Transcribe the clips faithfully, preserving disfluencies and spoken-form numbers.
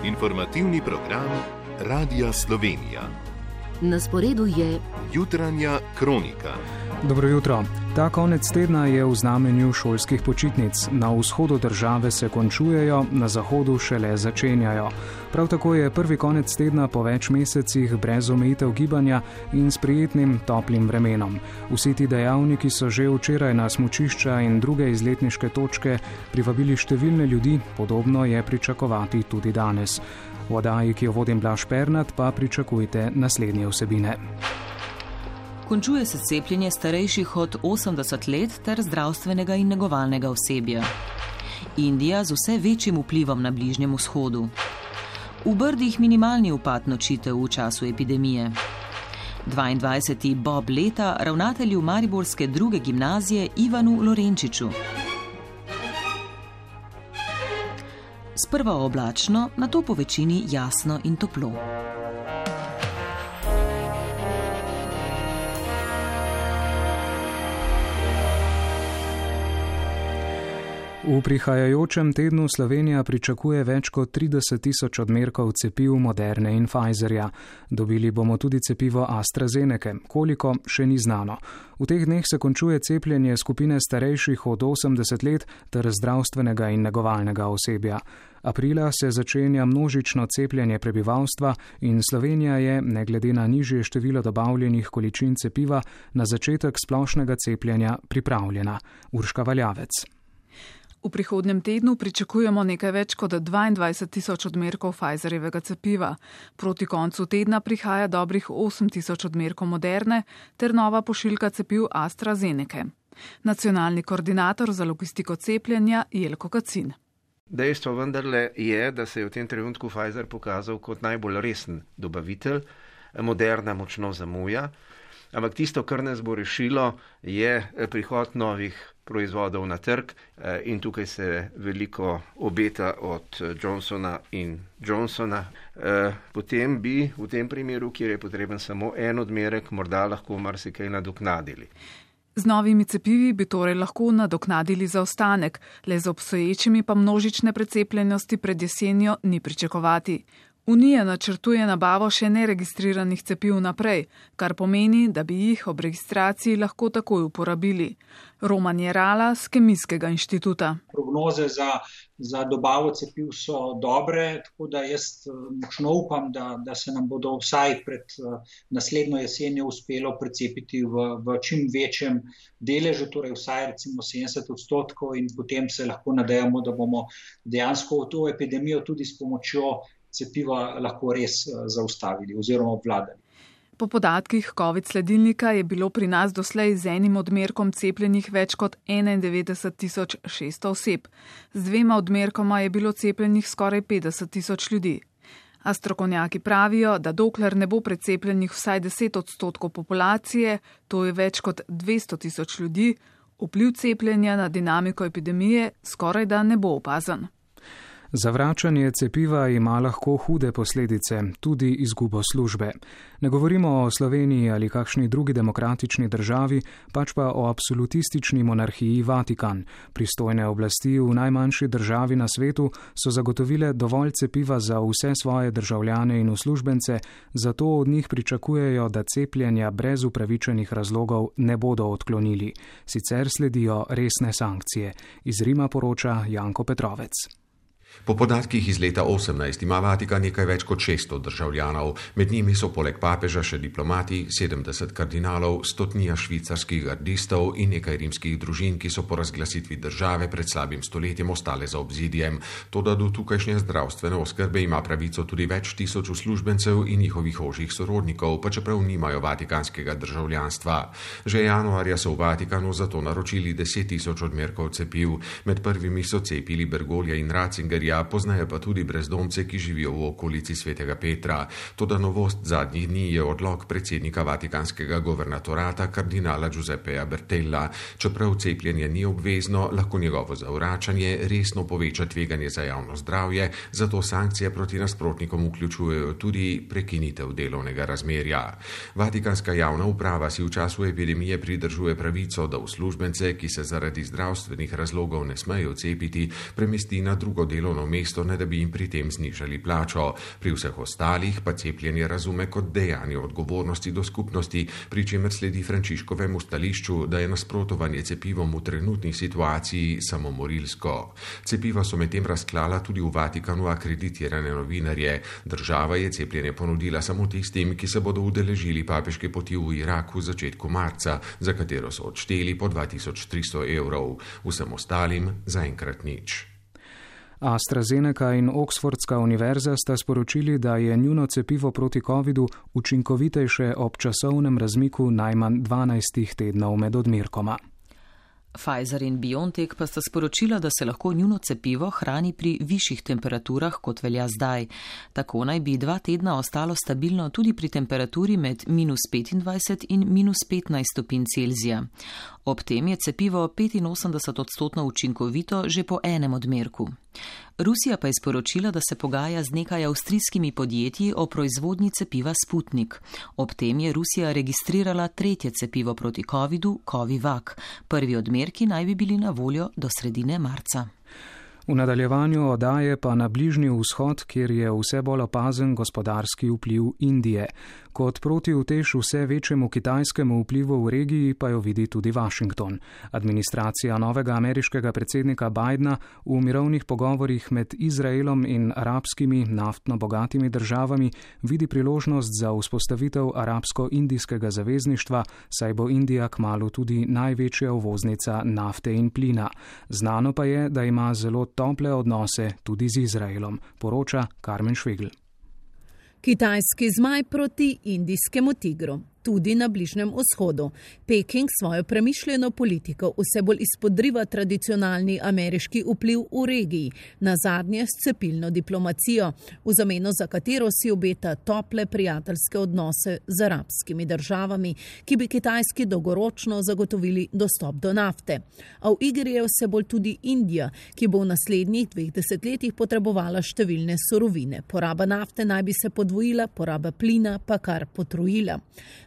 Informativni program Radia Slovenija. Na sporedu je Jutranja kronika. Dobro jutro. Ta konec tedna je v znamenju šolskih počitnic. Na vzhodu države se končujejo, na zahodu šele začenjajo. Prav tako je prvi konec tedna po več mesecih brez omejitev gibanja in s prijetnim toplim vremenom. Vsi ti dejavniki so že včeraj na smučišča in druge izletniške točke privabili številne ljudi, podobno je pričakovati tudi danes. V oddaji, ki jo vodim Blaž Pernat, pa pričakujte naslednje vsebine. Končuje se cepljenje starejših od osemdeset let ter zdravstvenega in negovalnega osebja. Indija z vse večjim vplivom na Bližnjem vzhodu. V Brdih minimalni upad nočitev v času epidemije. dvaindvajseti Bob leta ravnatelju mariborske druge gimnazije Ivanu Lorenčiču. Sprva oblačno, nato po večini jasno in toplo. V prihajajočem tednu Slovenija pričakuje več kot trideset tisoč odmerkov cepiv Moderne in Pfizerja. Dobili bomo tudi cepivo AstraZenece, koliko še ni znano. V teh dneh se končuje cepljenje skupine starejših od osemdeset let ter zdravstvenega in negovalnega osebja. Aprila se začenja množično cepljenje prebivalstva in Slovenija je, ne glede na nižje število dobavljenih količin cepiva, na začetek splošnega cepljenja pripravljena. Urška Valjavec. V prihodnjem tednu pričakujemo nekaj več kot dvaindvajset tisoč odmerkov Pfizerjevega cepiva. Proti koncu tedna prihaja dobrih osem tisoč odmerkov Moderne ter nova pošiljka cepiv AstraZenece. Nacionalni koordinator za logistiko cepljenja Jelko Kacin. Dejstvo vendarle je, da se je v tem trenutku Pfizer pokazal kot najbolj resen dobavitelj. Moderna močno zamuja, ampak tisto, kar nas bo rešilo, je prihod novih proizvodov na trg in tukaj se veliko obeta od Johnsona in Johnsona. Potem bi v tem primeru, kjer je potreben samo en odmerek, morda lahko marsikaj nadoknadili. Z novimi cepivi bi torej lahko nadoknadili zaostanek, le z obstoječimi pa množične precepljenosti pred jesenjo ni pričakovati. Unija načrtuje nabavo še neregistriranih cepiv naprej, kar pomeni, da bi jih ob registraciji lahko takoj uporabili. Roman Jerala z Kemijskega inštituta. Prognoze za, za dobavo cepiv so dobre, tako da jaz močno upam, da, da se nam bodo vsaj pred naslednjo jesenjo uspelo precepiti v, v čim večjem deležu, torej vsaj recimo sedemdeset odstotkov in potem se lahko nadejamo, da bomo dejansko to epidemijo tudi s pomočjo cepiva lahko res zaustavili oziroma obvladali. Po podatkih COVID sledilnika je bilo pri nas doslej z enim odmerkom cepljenih več kot enaindevetdeset tisoč šeststo oseb. Z dvema odmerkoma je bilo cepljenih skoraj petdeset tisoč ljudi. A strokovnjaki pravijo, da dokler ne bo precepljenih vsaj deset odstotkov populacije, to je več kot dvesto tisoč ljudi, vpliv cepljenja na dinamiko epidemije skoraj da ne bo opazen. Zavračanje cepiva ima lahko hude posledice, tudi izgubo službe. Ne govorimo o Sloveniji ali kakšni drugi demokratični državi, pač pa o absolutistični monarhiji Vatikan. Pristojne oblasti v najmanjši državi na svetu so zagotovile dovolj cepiva za vse svoje državljane in uslužbence, zato od njih pričakujejo, da cepljenja brez upravičenih razlogov ne bodo odklonili. Sicer sledijo resne sankcije. Iz Rima poroča Janko Petrovec. Po podatkih iz leta osemnajst ima Vatikan nekaj več kot šeststo državljanov. Med njimi so poleg papeža še diplomati, sedemdeset kardinalov, stotnija švicarskih gardistov in nekaj rimskih družin, ki so po razglasitvi države pred slabim stoletjem ostale za obzidjem. Toda do tukajšnje zdravstvene oskrbe ima pravico tudi več tisoč uslužbencev in njihovih ožjih sorodnikov, pa čeprav nimajo vatikanskega državljanstva. Že januarja so v Vatikanu zato naročili deset tisoč odmerkov cepiv. Med prvimi so cepili Bergolja in Ratzinger, poznajo pa tudi brezdomce, ki živijo v okolici Svetega Petra. Toda novost zadnjih dni je odlok predsednika vatikanskega governatorata kardinala Giuseppeja Bertella. Čeprav cepljenje ni obvezno, lahko njegovo zavračanje resno poveča tveganje za javno zdravje, zato sankcije proti nasprotnikom vključujejo tudi prekinitev delovnega razmerja. Vatikanska javna uprava si v času epidemije pridržuje pravico, da uslužbence, ki se zaradi zdravstvenih razlogov ne smejo cepiti, premesti na drugo delovno delovno mesto, ne da bi jim pri tem znižali plačo. Pri vseh ostalih pa cepljenje razume kot dejanje odgovornosti do skupnosti, pri čemer sledi Frančiškovemu stališču, da je nasprotovanje cepivom v trenutni situaciji samomorilsko. Cepiva so medtem razklala tudi v Vatikanu akreditirane novinarje. Država je cepljenje ponudila samo tistim, ki se bodo udeležili papeške poti v Irak v začetku marca, za katero so odšteli po dva tisoč tristo evrov. Vsem ostalim zaenkrat nič. AstraZeneca in Oxfordska univerza sta sporočili, da je njuno cepivo proti covidu učinkovitejše ob časovnem razmiku najmanj dvanajst tednov med odmerkoma. Pfizer in BioNTech pa sta sporočila, da se lahko njuno cepivo hrani pri višjih temperaturah, kot velja zdaj. Tako naj bi dva tedna ostalo stabilno tudi pri temperaturi med minus petindvajset in minus petnajst stopinj Celzija. Ob tem je cepivo petinosemdeset odstotno učinkovito že po enem odmerku. Rusija pa je sporočila, da se pogaja z nekaj avstrijskimi podjetji o proizvodnji cepiva Sputnik. Ob tem je Rusija registrirala tretje cepivo proti covidu, Covivac. Prvi odmerki naj bi bili na voljo do sredine marca. V nadaljevanju oddaje pa na Bližnji vzhod, kjer je vse bolj opazen gospodarski vpliv Indije. Kot protiutež vse večjemu kitajskemu vplivu v regiji pa jo vidi tudi Washington. Administracija novega ameriškega predsednika Bidena v mirovnih pogovorih med Izraelom in arabskimi naftno bogatimi državami vidi priložnost za vzpostavitev arabsko-indijskega zavezništva, saj bo Indija kmalu tudi največja uvoznica nafte in plina. Znano pa je, da ima zelo tople odnose tudi z Izraelom, poroča Karmen Švegl. Kitajski zmaj proti indijskemu tigru. Tudi na Bližnjem vzhodu. Peking svojo premišljeno politiko vse bolj izpodriva tradicionalni ameriški vpliv v regiji, nazadnje s cepilno diplomacijo, v zameno za katero si obeta tople prijateljske odnose z arabskimi državami, ki bi Kitajski dolgoročno zagotovili dostop do nafte. A v igri je vse bolj tudi Indija, ki bo v naslednjih dveh desetletjih potrebovala številne surovine. Poraba nafte naj bi se podvojila, poraba plina pa kar potrojila.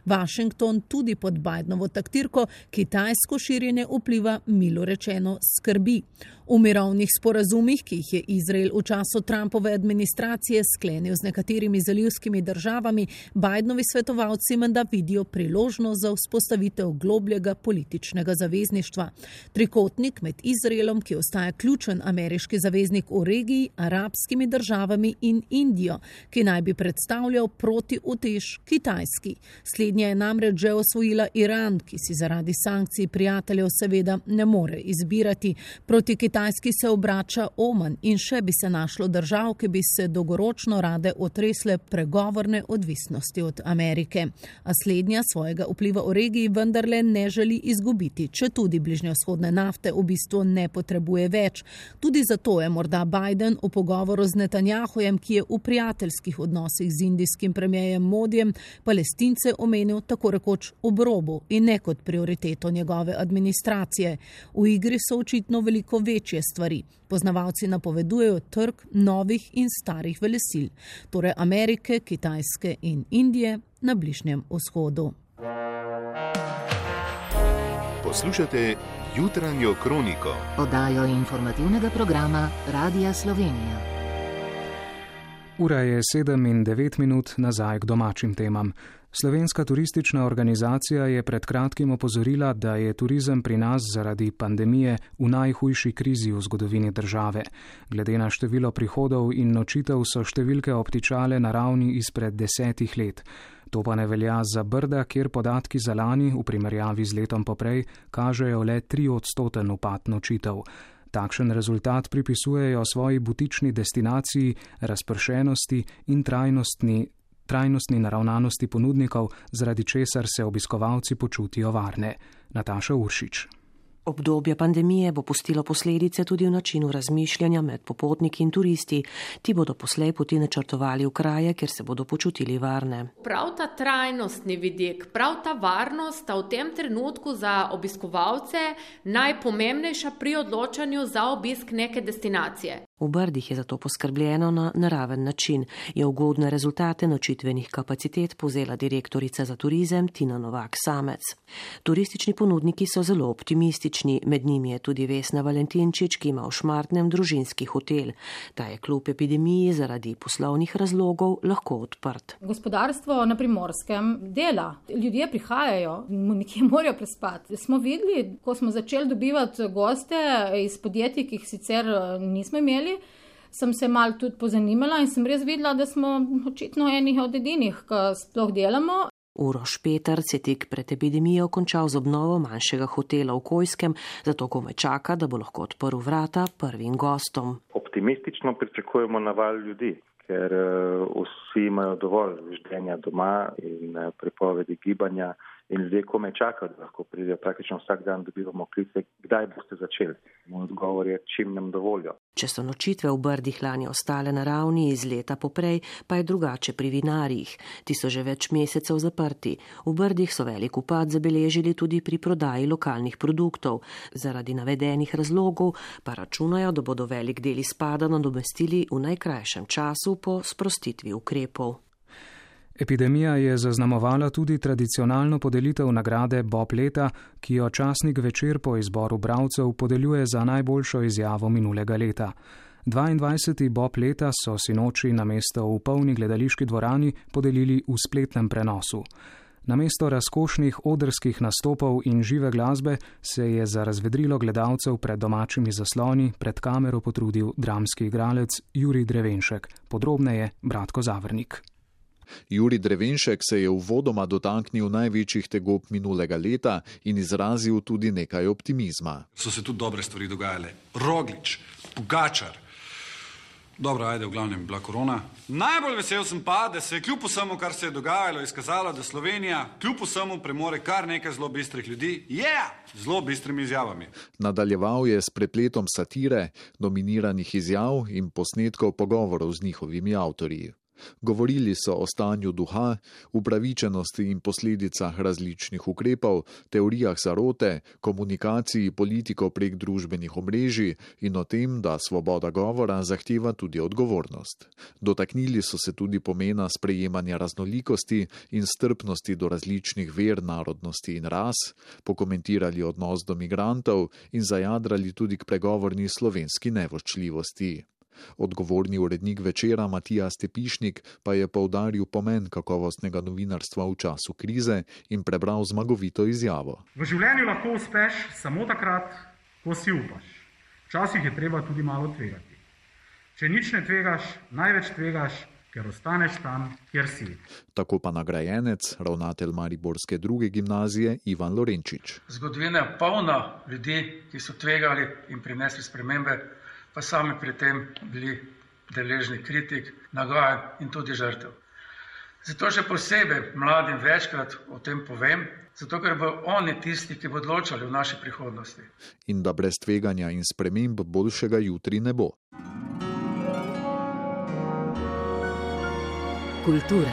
Washington tudi pod Bidenovo taktirko kitajsko širjenje vpliva milo rečeno skrbi. V mirovnih sporazumih, ki jih je Izrael v času Trumpove administracije sklenil z nekaterimi zalivskimi državami, Bidenovi svetovalci menda vidijo priložnost za vzpostavitev globljega političnega zavezništva. Trikotnik med Izraelom, ki ostaja ključen ameriški zaveznik v regiji, arabskimi državami in Indijo, ki naj bi predstavljal protiutež Kitajski. Slednja je namreč že osvojila Iran, ki si zaradi sankcij prijateljev seveda ne more izbirati. Proti Kitajski se obrača Oman in še bi se našlo držav, ki bi se dolgoročno rade otresle pregovorne odvisnosti od Amerike. A slednja svojega vpliva v regiji vendarle ne želi izgubiti, če tudi bližnjevzhodne nafte v bistvu ne potrebuje več. Tudi zato je morda Biden v pogovoru z Netanjahujem, ki je v prijateljskih odnosih z indijskim premierjem Modijem, Palestince omenil tako rekoč ob robu in ne kot prioriteto njegove administracije. V igri so očitno veliko večje stvari. Poznavalci napovedujejo trg novih in starih velesil, torej Amerike, Kitajske in Indije na Bližnjem vzhodu. Poslušate Jutranjo kroniko, oddajo informativnega programa Radia Slovenija. Ura je sedem in devet minut, nazaj k domačim temam. Slovenska turistična organizacija je pred kratkim opozorila, da je turizem pri nas zaradi pandemije v najhujši krizi v zgodovini države. Glede na število prihodov in nočitev so številke obtičale na ravni izpred desetih let. To pa ne velja za Brda, kjer podatki za lani v primerjavi z letom poprej kažejo le tri odstoten upad nočitev. Takšen rezultat pripisujejo svoji butični destinaciji, razpršenosti in trajnostni trajnostni naravnanosti ponudnikov, zaradi česar se obiskovalci počutijo varne. Nataša Uršič. Obdobje pandemije bo pustilo posledice tudi v načinu razmišljanja med popotniki in turisti. Ti bodo poslej poti načrtovali v kraje, kjer se bodo počutili varne. Prav ta trajnostni vidik, prav ta varnost sta v tem trenutku za obiskovalce najpomembnejša pri odločanju za obisk neke destinacije. V Brdih je zato poskrbljeno na naraven način. Je ugodne rezultate nočitvenih kapacitet povzela direktorica za turizem Tina Novak Samec. Turistični ponudniki so zelo optimistični, različni, med njimi je tudi Vesna Valentinčič, ki ima v Šmartnem družinski hotel. Ta je kljub epidemiji zaradi poslovnih razlogov lahko odprt. Gospodarstvo na Primorskem dela, ljudje prihajajo, nekje morajo prespati. Smo videli, ko smo začeli dobivati goste iz podjetij, ki jih sicer nismo imeli, sem se malo tudi pozanimala in sem res videla, da smo očitno enih od edinih, ki sploh delamo. Uroš Peterc je tik pred epidemijo končal z obnovo manjšega hotela v Kojskem, zato komaj čaka, da bo lahko odprl vrata prvim gostom. Optimistično pričakujemo naval ljudi, ker vsi imajo dovolj ždenja doma in prepovedi gibanja in ljudje komaj čakajo, da lahko pridejo. Praktično vsak dan dobivamo klice, kdaj boste začeli. Moj odgovor je, čim nam dovolijo. Če so nočitve v Brdih lani ostale na ravni iz leta poprej, pa je drugače pri vinarjih. Ti so že več mesecev zaprti. V Brdih so velik upad zabeležili tudi pri prodaji lokalnih produktov. Zaradi navedenih razlogov pa računajo, da bodo velik del izpada nadomestili v najkrajšem času po sprostitvi ukrepov. Epidemija je zaznamovala tudi tradicionalno podelitev nagrade Bob leta, ki jo časnik Večer po izboru bralcev podeljuje za najboljšo izjavo minulega leta. dvaindvajseti Bob leta so sinoči namesto v polni gledališki dvorani podelili v spletnem prenosu. Namesto razkošnih odrskih nastopov in žive glasbe se je za razvedrilo gledalcev pred domačimi zasloni pred kamero potrudil dramski igralec Jurij Drevenšek. Podrobneje Bratko Zavrnik. Jurij Drevenšek se je uvodoma dotaknil največjih tegob minulega leta in izrazil tudi nekaj optimizma. So se tudi dobre stvari dogajale. Roglič, Pogačar. Dobro, ajde, v glavnem bila korona. Najbolj vesel sem pa, da se je kljub vsemu, kar se je dogajalo, izkazalo, da Slovenija kljub vsemu premore kar nekaj zelo bistrih ljudi. Je! Yeah! Zelo bistrimi izjavami. Nadaljeval je s prepletom satire, nominiranih izjav in posnetkov pogovorov z njihovimi avtorji. Govorili so o stanju duha, upravičenosti in posledicah različnih ukrepov, teorijah zarote, komunikaciji politikov prek družbenih omrežij in o tem, da svoboda govora zahteva tudi odgovornost. Dotaknili so se tudi pomena sprejemanja raznolikosti in strpnosti do različnih ver, narodnosti in ras, pokomentirali odnos do migrantov in zajadrali tudi k pregovorni slovenski nevoščljivosti. Odgovorni urednik Večera Matija Stepišnik pa je poudaril pomen kakovostnega novinarstva v času krize in prebral zmagovito izjavo. V življenju lahko uspeš samo takrat, ko si upaš. Včasih je treba tudi malo tvegati. Če nič ne tvegaš, največ tvegaš, ker ostaneš tam, kjer si. Tako pa nagrajenec, ravnatelj mariborske druge gimnazije Ivan Lorenčič. Zgodovina je polna ljudi, ki so tvegali in prinesli spremembe, pa sami pri tem bili deležni kritik, nagajanj in tudi žrtev. Zato še posebej mladim večkrat o tem povem, zato ker bodo oni tisti, ki bodo odločali v naši prihodnosti. In da brez tveganja in sprememb boljšega jutri ne bo. Kultura.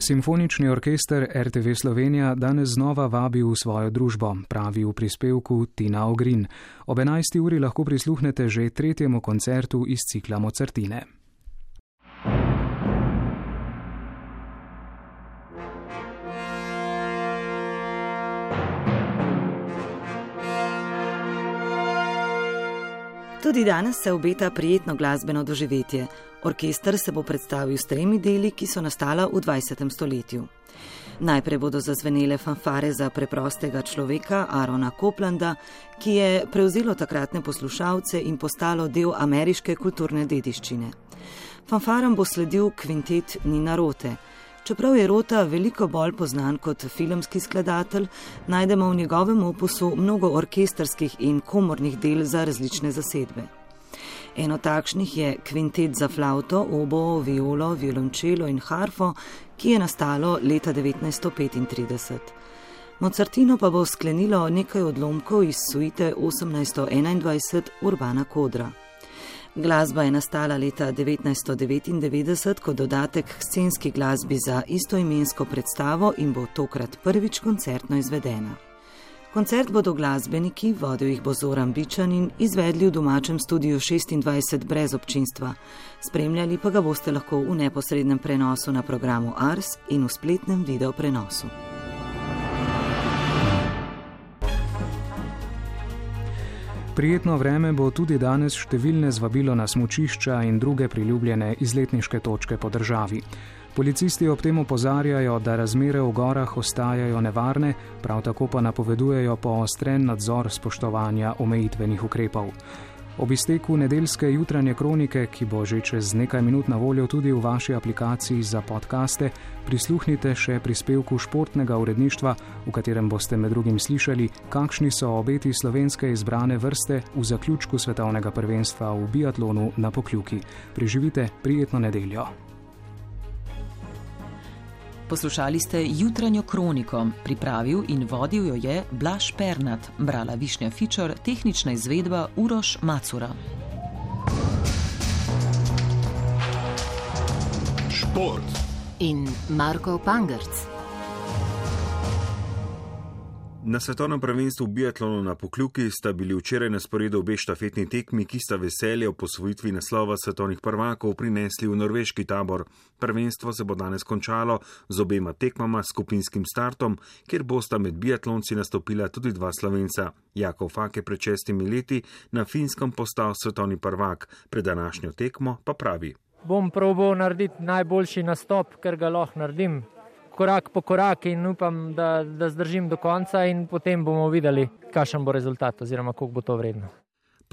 Simfonični orkester R T V Slovenija danes znova vabi v svojo družbo, pravi v prispevku Tina Ogrin. Ob enajsti uri lahko prisluhnete že tretjemu koncertu iz cikla Mozartine. Tudi danes se obeta prijetno glasbeno doživetje. Orkester se bo predstavil s tremi deli, ki so nastala v dvajsetem stoletju. Najprej bodo zazvenele fanfare za preprostega človeka Aarona Coplanda, ki je prevzelo takratne poslušalce in postalo del ameriške kulturne dediščine. Fanfaram bo sledil kvintet Nina Rote. Čeprav je Rota veliko bolj poznan kot filmski skladatelj, najdemo v njegovem opusu mnogo orkestrskih in komornih del za različne zasedbe. Eno takšnih je kvintet za flavto, oboe, violo, violončelo in harfo, ki je nastalo leta devetnajststo petintrideset. Mozartino pa bo sklenilo nekaj odlomkov iz suite osemnajststo enaindvajset Urbana Kodra. Glasba je nastala leta devetnajststo devetindevetdeset kot dodatek k scenski glasbi za istoimensko predstavo in bo tokrat prvič koncertno izvedena. Koncert bodo glasbeniki, vodil jih bo Zoran Bičanin, izvedli v domačem studiu šestindvajset brez občinstva. Spremljali pa ga boste lahko v neposrednem prenosu na programu Ars in v spletnem video prenosu. Prijetno vreme bo tudi danes številne zvabilo na smučišča in druge priljubljene izletniške točke po državi. Policisti ob tem opozarjajo, da razmere v gorah ostajajo nevarne, prav tako pa napovedujejo poostren nadzor spoštovanja omejitvenih ukrepov. Ob izteku nedeljske jutranje kronike, ki bo že čez nekaj minut na voljo tudi v vaši aplikaciji za podcaste, prisluhnite še prispevku športnega uredništva, v katerem boste med drugim slišali, kakšni so obeti slovenske izbrane vrste v zaključku svetovnega prvenstva v biatlonu na Pokljuki. Preživite prijetno nedeljo. Poslušali ste jutranjo kroniko, pripravil in vodil jo je Blaž Pernat, brala Višnja Fičer, tehnična izvedba Uroš Macura. Šport in Marko Pangerc. Na svetovnem prvenstvu v biatlonu na Pokljuki sta bili včeraj na sporedu obe štafetni tekmi, ki sta veselje o posvojitvi naslova svetovnih prvakov prinesli v norveški tabor. Prvenstvo se bo danes končalo z obema tekmama s skupinskim startom, kjer bosta med biatlonci nastopila tudi dva Slovenca. Jakov Fak je pred šestimi leti na Finskem postal svetovni prvak, pred današnjo tekmo pa pravi: Bom probal narediti najboljši nastop, ker ga lahko naredim. Korak po korak in upam, da, da zdržim do konca in potem bomo videli, kakšen bo rezultat oziroma koliko bo to vredno.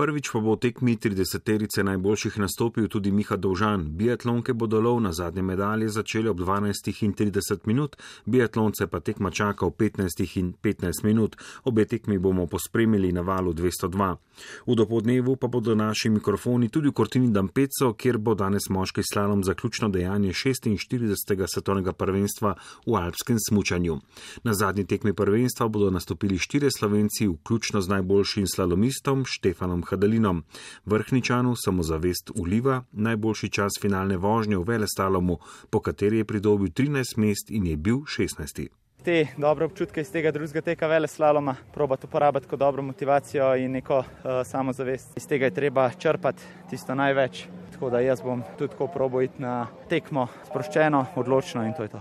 Prvič pa bo v tekmi trideseterice najboljših nastopil tudi Miha Dovžan. Biatlonke bodo lov na zadnje medalje začeli ob dvanajstih in trideset minut, biatlonce pa tekma čaka ob petnajstih in petnajst minut. Obe tekmi bomo pospremili na valu dvesto dva. V dopoldnevu pa bodo naši mikrofoni tudi v Cortini d'Ampezzo, kjer bo danes moški slalom zaključno dejanje šestinštiridesetega svetovnega prvenstva v alpskem smučanju. Na zadnji tekmi prvenstva bodo nastopili štirje Slovenci, vključno z najboljšim slalomistom Štefanom Hadalinom. Vrhničanu samozavest uliva najboljši čas finalne vožnje v veleslalomu, po kateri je pridobil trinajst mest in je bil šestnajsti. Te dobre občutke iz tega drugega teka veleslaloma probati uporabiti kot dobro motivacijo in neko uh, samozavest. Iz tega je treba črpati tisto največ, tako da jaz bom tudi tako probal iti na tekmo sproščeno, odločno in to je to.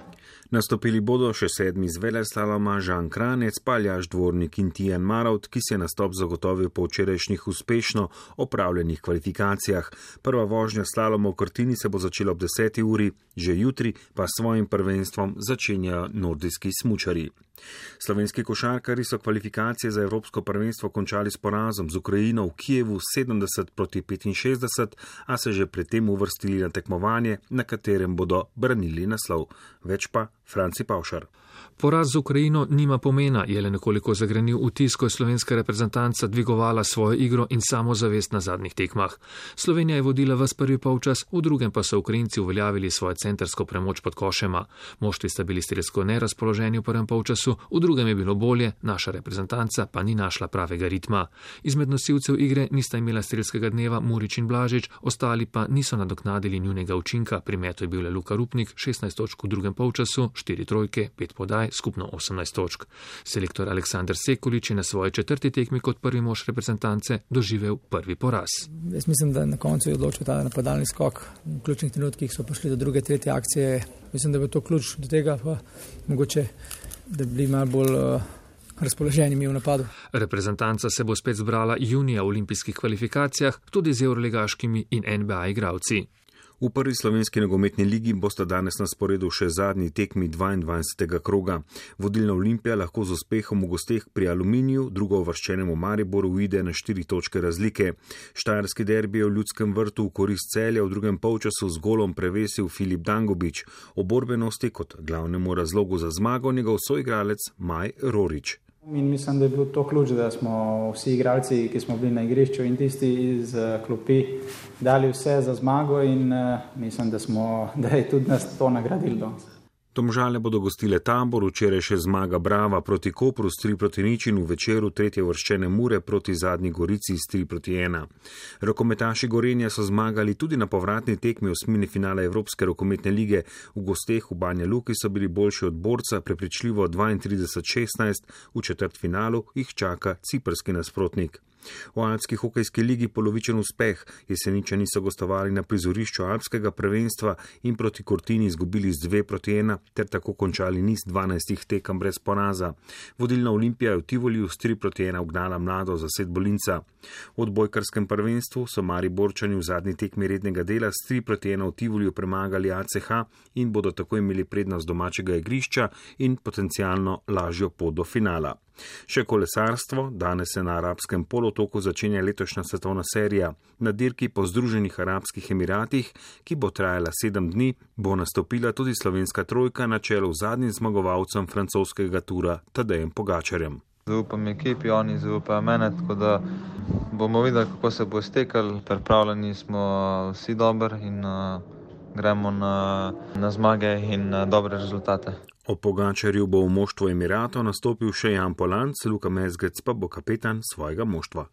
Nastopili bodo še sedmi z veleslaloma Žan Kranec, Aljaž Dvornik in Tijan Marovt, ki se je nastop zagotovil po včerajšnjih uspešno opravljenih kvalifikacijah. Prva vožnja slaloma v Cortini se bo začela ob deseti uri, že jutri pa s svojim prvenstvom začenjajo nordijski smučarji. Slovenski košarkarji so kvalifikacije za evropsko prvenstvo končali s porazom z Ukrajino v Kijevu sedemdeset proti petinšestdeset, a se že predtem uvrstili na tekmovanje, na katerem bodo branili naslov. Več pa Franci Pavšar. Poraz z Ukrajino nima pomena, je le nekoliko zagrenil vtis, ko je slovenska reprezentanca dvigovala svojo igro in samozavest na zadnjih tekmah. Slovenija je vodila ves prvi polčas, v drugem pa so Ukrajinci uveljavili svojo centrsko premoč pod košema. Moštvi sta bili strelsko nerazpoloženi v prvem polčasu, v drugem je bilo bolje, naša reprezentanca pa ni našla pravega ritma. Izmed nosilcev igre nista imela strelskega dneva Murič in Blažič, ostali pa niso nadoknadili njunega učinka. Pri metu je bil le Luka Rupnik, šestnajst točk v drugem polčasu, štiri trojke, pet podaj, skupno osemnajst točk. Selektor Aleksander Sekulič je na svoji četrti tekmi kot prvi mož reprezentance doživel prvi poraz. Jaz mislim, da na koncu je odločil ta napadalni skok. V ključnih trenutkih so prišli do druge, tretje akcije. Mislim, da bo to ključ do tega, pa mogoče, da bi bili malo bolj uh, razpoloženi mi v napadu. Reprezentanca se bo spet zbrala junija v olimpijskih kvalifikacijah, tudi z evroligaškimi in N B A igralci. V prvi slovenski nogometni ligi bosta danes na sporedu še zadnji tekmi dvaindvajsetega kroga. Vodilna Olimpija lahko z uspehom v gosteh pri Aluminiju, drugo uvrščenemu Mariboru uide na štiri točke razlike. Štajerski derbi je v Ljudskem vrtu v korist Celja v drugem polčasu z golom prevesil Filip Dangubič. O borbenosti kot glavnemu razlogu za zmago njegov soigralec Maj Rorič. In mislim, da je bil to ključ, da smo vsi igralci, ki smo bili na igrišču in tisti iz klopi, dali vse za zmago in mislim, da, smo, da je tudi nas to nagradilo danes. Domžale bodo gostile Tabor, včeraj še zmaga Brava proti Kopru s tri proti nič in v večeru tretje uvrščene Mure proti Zadnji Gorici s tri proti ena. Rokometaši Gorenja so zmagali tudi na povratni tekmi osmine finala Evropske rokometne lige. V gosteh v Banja Luki so bili boljši od borca, prepričljivo dvaintrideset šestnajst, v četrtfinalu jih čaka ciprski nasprotnik. V alpski hokejski ligi polovičen uspeh, Jeseničani so gostovali na prizorišču alpskega prvenstva in proti Cortini izgubili z dve proti ena ter tako končali niz dvanajstih tekem brez poraza. Vodilna Olimpija je v Tivoliju s tri proti ena ugnala mlado zasedbo Linca. V odbojkarskem prvenstvu so Mariborčani v zadnji tekmi rednega dela s tri proti ena v Tivoliju premagali A C H in bodo tako imeli prednost domačega igrišča in potencialno lažjo pot do finala. Še kolesarstvo, danes se na arabskem polotoku začenja letošnja svetovna serija. Na dirki po Združenih arabskih emiratih, ki bo trajala sedem dni, bo nastopila tudi slovenska trojka na čelu z zadnjim zmagovalcem francoskega tura Tadejem Pogačarjem. Zaupam ekipi, oni zaupajo mene, tako da bomo videli, kako se bo iztekal. Pripravljeni smo vsi dobro in uh, gremo na, na zmage in na dobre rezultate. O Pogačarju bo v moštvu Emiratov nastopil še Jan Polanc, Luka Mezgec pa bo kapetan svojega moštva.